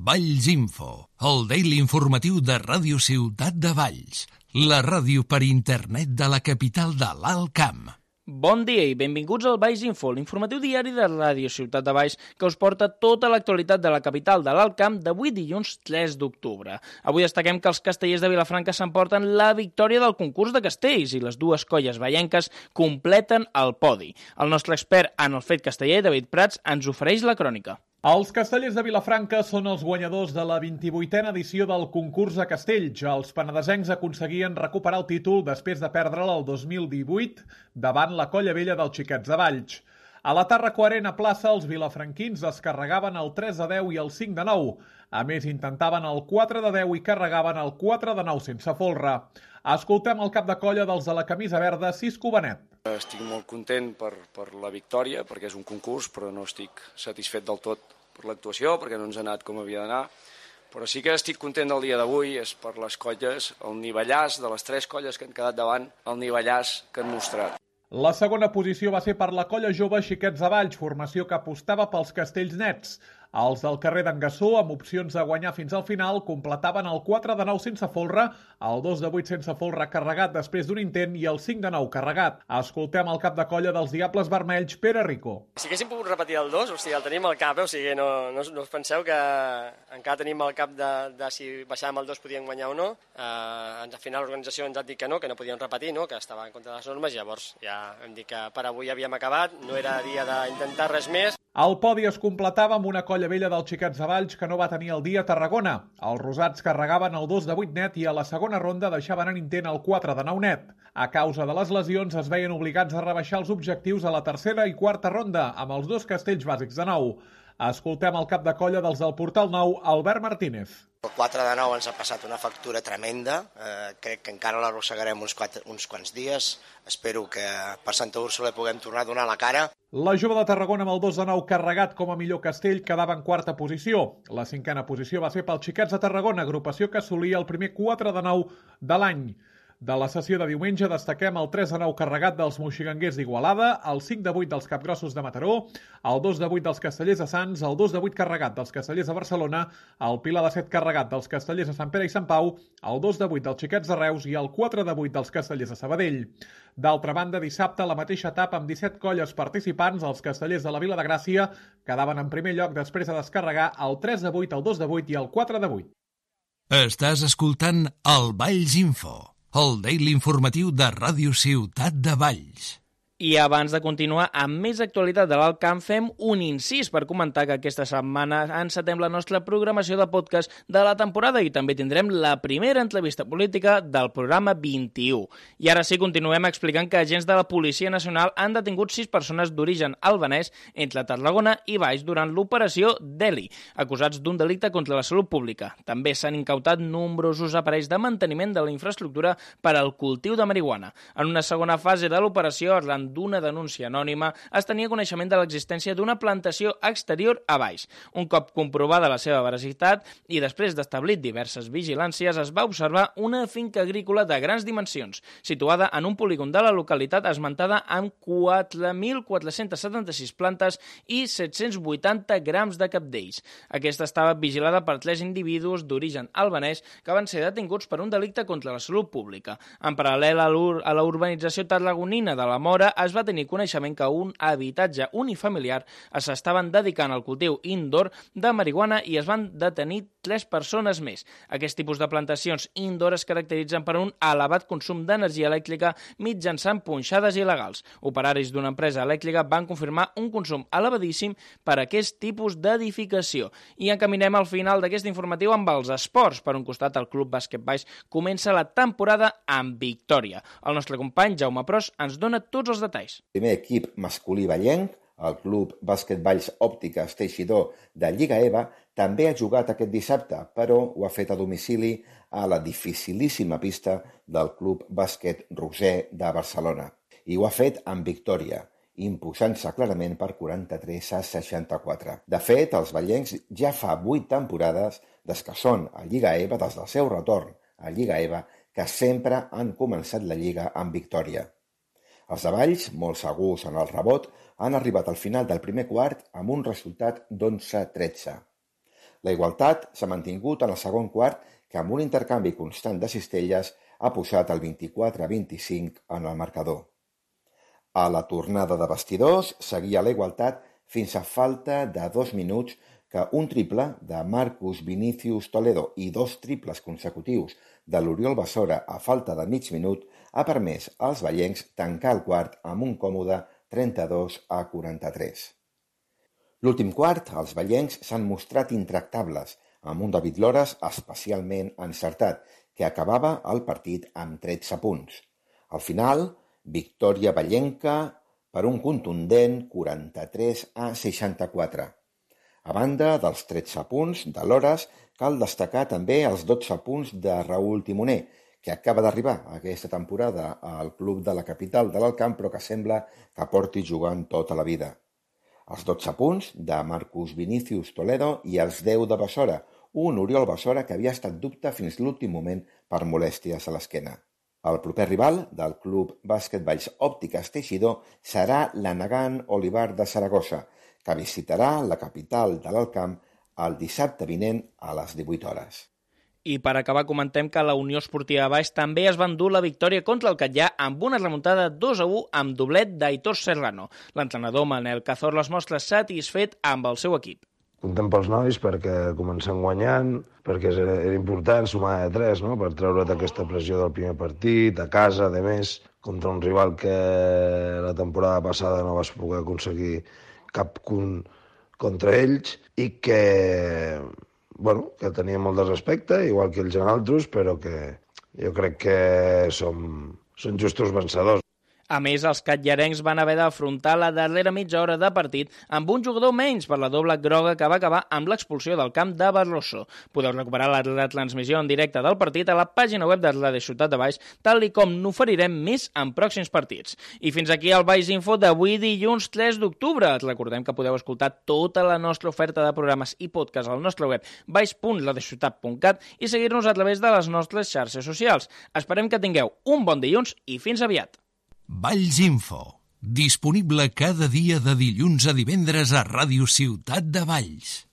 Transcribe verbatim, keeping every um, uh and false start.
Valls Info, el daily informatiu de Ràdio Ciutat de Valls, la ràdio per internet de la capital de l'Alt Camp. Bon dia i benvinguts al Valls Info, l'informatiu diari de Ràdio Ciutat de Valls que us porta tota l'actualitat de la capital de l'Alt Camp d'avui dilluns tres d'octubre. Avui destaquem que els castellers de Vilafranca s'emporten la victòria del concurs de castells i les dues colles vallenques completen el podi. El nostre expert en el fet casteller, David Prats, ens ofereix la crònica. Els castellers de Vilafranca són els guanyadors de la vint-i-vuitena edició del concurs de castells. Els penedesencs aconseguien recuperar el títol després de perdre'l el dos mil divuit davant la colla vella dels Xiquets de Valls. A la Tàrraco Arena plaça, els vilafranquins es carregaven el tres a deu i el cinc de nou. A més, intentaven el quatre de deu i carregaven el quatre de nou sense folre. Escoltem el cap de colla dels de la camisa verda, Cisco Benet. Estic molt content per, per la victòria, perquè és un concurs, però no estic satisfet del tot per l'actuació, perquè no ens ha anat com havia d'anar. Però sí que estic content del dia d'avui, és per les colles, el nivellàs de les tres colles que han quedat davant, el nivellàs que han mostrat. La segona posició va ser per la colla jove Xiquets de Valls, formació que apostava pels castells nets. Els del carrer d'en Gassó, amb opcions de guanyar fins al final, completaven el quatre de nou sense folre, el dos de vuit sense folre carregat després d'un intent i el cinc de nou carregat. Escoltem el cap de colla dels Diables Vermells, Pere Rico. Si haguéssim pogut repetir el dos, o sigui, el tenim al cap, eh? O sigui, no, no, no us penseu que encara tenim al cap de, de si baixàvem el dos podíem guanyar o no. Uh, al final l'organització ens ha dit que no, que no podíem repetir, no? Que estava en contra de les normes, llavors ja hem dit que per avui havíem acabat, no era dia d'intentar res més. El podi es completava amb una colla vella dels Xiquets de Valls que no va tenir el dia a Tarragona. Els rosats carregaven el dos de vuit net i a la segona ronda deixaven en intent el quatre de nou net. A causa de les lesions es veien obligats a rebaixar els objectius a la tercera i quarta ronda amb els dos castells bàsics de nou. Escoltem el cap de colla dels del Portal Nou, Albert Martínez. El quatre de nou ens ha passat una factura tremenda, eh, crec que encara l'arrossegarem uns, quatre, uns quants dies, espero que per Santa Úrsula puguem tornar a donar la cara. La jove de Tarragona amb el dos de nou carregat com a millor castell quedava en quarta posició. La cinquena posició va ser pels Xiquets de Tarragona, agrupació que assolia el primer quatre de nou de l'any. De la sessió de diumenge destaquem el tres de nou carregat dels moixiganguers d'Igualada, el cinc de vuit dels capgrossos de Mataró, el dos de vuit dels castellers de Sants, el dos de vuit carregat dels castellers de Barcelona, el pilar de set carregat dels castellers de Sant Pere i Sant Pau, el dos de vuit dels Xiquets de Reus i el quatre de vuit dels castellers de Sabadell. D'altra banda, dissabte, la mateixa etapa amb disset colles participants, els castellers de la Vila de Gràcia quedaven en primer lloc després de descarregar el tres de vuit, el dos de vuit i el quatre de vuit. Estàs escoltant el Valls Info, el daily informatiu de Ràdio Ciutat de Valls. I abans de continuar amb més actualitat de l'Alt Camp, fem un incís per comentar que aquesta setmana encetem la nostra programació de podcast de la temporada i també tindrem la primera entrevista política del programa vint-i-u. I ara sí, continuem explicant que agents de la Policia Nacional han detingut sis persones d'origen albanès entre Tarragona i Valls durant l'operació Delhi, acusats d'un delicte contra la salut pública. També s'han incautat nombrosos aparells de manteniment de la infraestructura per al cultiu de marihuana. En una segona fase de l'operació, arran d'una denúncia anònima, es tenia coneixement de l'existència d'una plantació exterior a Valls. Un cop comprovada la seva veracitat i després d'establir diverses vigilàncies, es va observar una finca agrícola de grans dimensions, situada en un polígon de la localitat esmentada amb quatre mil quatre-cents setanta-sis plantes i set-cents vuitanta grams de cabdells. Aquesta estava vigilada per tres individus d'origen albanès que van ser detinguts per un delicte contra la salut pública. En paral·lel a, a la urbanització tarragonina de la Mora, es va tenir coneixement que un habitatge unifamiliar s'estaven dedicant al cultiu indoor de marihuana i es van detenir tres persones més. Aquest tipus de plantacions indoor es caracteritzen per un elevat consum d'energia elèctrica mitjançant punxades il·legals. Operaris d'una empresa elèctrica van confirmar un consum elevadíssim per a aquest tipus d'edificació. I encaminem al final d'aquest informatiu amb els esports. Per un costat, el Club Bàsquet Valls comença la temporada amb victòria. El nostre company Jaume Pros ens dona tots els detalls. El primer equip masculí vallenc, el Club Bàsquet Valls Òptiques Teixidor de Lliga EVA, també ha jugat aquest dissabte, però ho ha fet a domicili a la dificilíssima pista del Club Bàsquet Roser de Barcelona. I ho ha fet amb victòria, imposant-se clarament per quaranta-tres a seixanta-quatre. De fet, els vallencs ja fa vuit temporades des que són a Lliga EVA, des del seu retorn a Lliga EVA, que sempre han començat la Lliga amb victòria. Els de Valls, molt segurs en el rebot, han arribat al final del primer quart amb un resultat d'onze a tretze. La igualtat s'ha mantingut en el segon quart, que amb un intercanvi constant de cistelles ha posat el vint-i-quatre a vint-i-cinc en el marcador. A la tornada de vestidors seguia la igualtat fins a falta de dos minuts que un triple de Marcus Vinicius Toledo i dos triples consecutius de l'Oriol Basora a falta de mig minut ha permès als vallencs tancar el quart amb un còmode trenta-dos a quaranta-tres. L'últim quart, els vallencs s'han mostrat intractables, amb un David Lores especialment encertat, que acabava el partit amb tretze punts. Al final, victòria vallenca per un contundent quaranta-tres a seixanta-quatre. A banda dels tretze punts de Lores, cal destacar també els dotze punts de Raúl Timoner, que acaba d'arribar aquesta temporada al club de la capital de l'Alcamp, però que sembla que porti jugant tota la vida. Els dotze punts de Marcus Vinicius Toledo i els deu de Basora, un Oriol Basora que havia estat dubte fins l'últim moment per molèsties a l'esquena. El proper rival del Club Bàsquet Valls Òptiques Teixidor serà l'Anagán Olivar de Saragossa, que visitarà la capital de l'Alcamp el dissabte vinent a les divuit hores. I per acabar comentem que la Unió Esportiva Baix també es va endur la victòria contra el Catllà amb una remuntada dos a u amb doblet d'Aitor Serrano. L'entrenador Manel Cazorla es mostra satisfet amb el seu equip. Content pels nois perquè comencem guanyant, perquè era, era important sumar de tres, no? Per treure't aquesta pressió del primer partit, a casa, de més, contra un rival que la temporada passada no vas poder aconseguir cap punt contra ells i que... bueno, que tenia molt de respecte, igual que ells en altres, però que jo crec que som, són justos vencedors. A més, els catllarencs van haver d'afrontar la darrera mitja hora de partit amb un jugador menys per la doble groga que va acabar amb l'expulsió del camp de Barroso. Podeu recuperar la retransmissió en directe del partit a la pàgina web de Ràdio Ciutat de Baix, tal i com n'oferirem més en pròxims partits. I fins aquí el Baix Info d'avui dilluns tres d'octubre. Recordem que podeu escoltar tota la nostra oferta de programes i podcast al nostre web baix punt radiociutat punt cat i seguir-nos a través de les nostres xarxes socials. Esperem que tingueu un bon dilluns i fins aviat. Valls Info, disponible cada dia de dilluns a divendres a Ràdio Ciutat de Valls.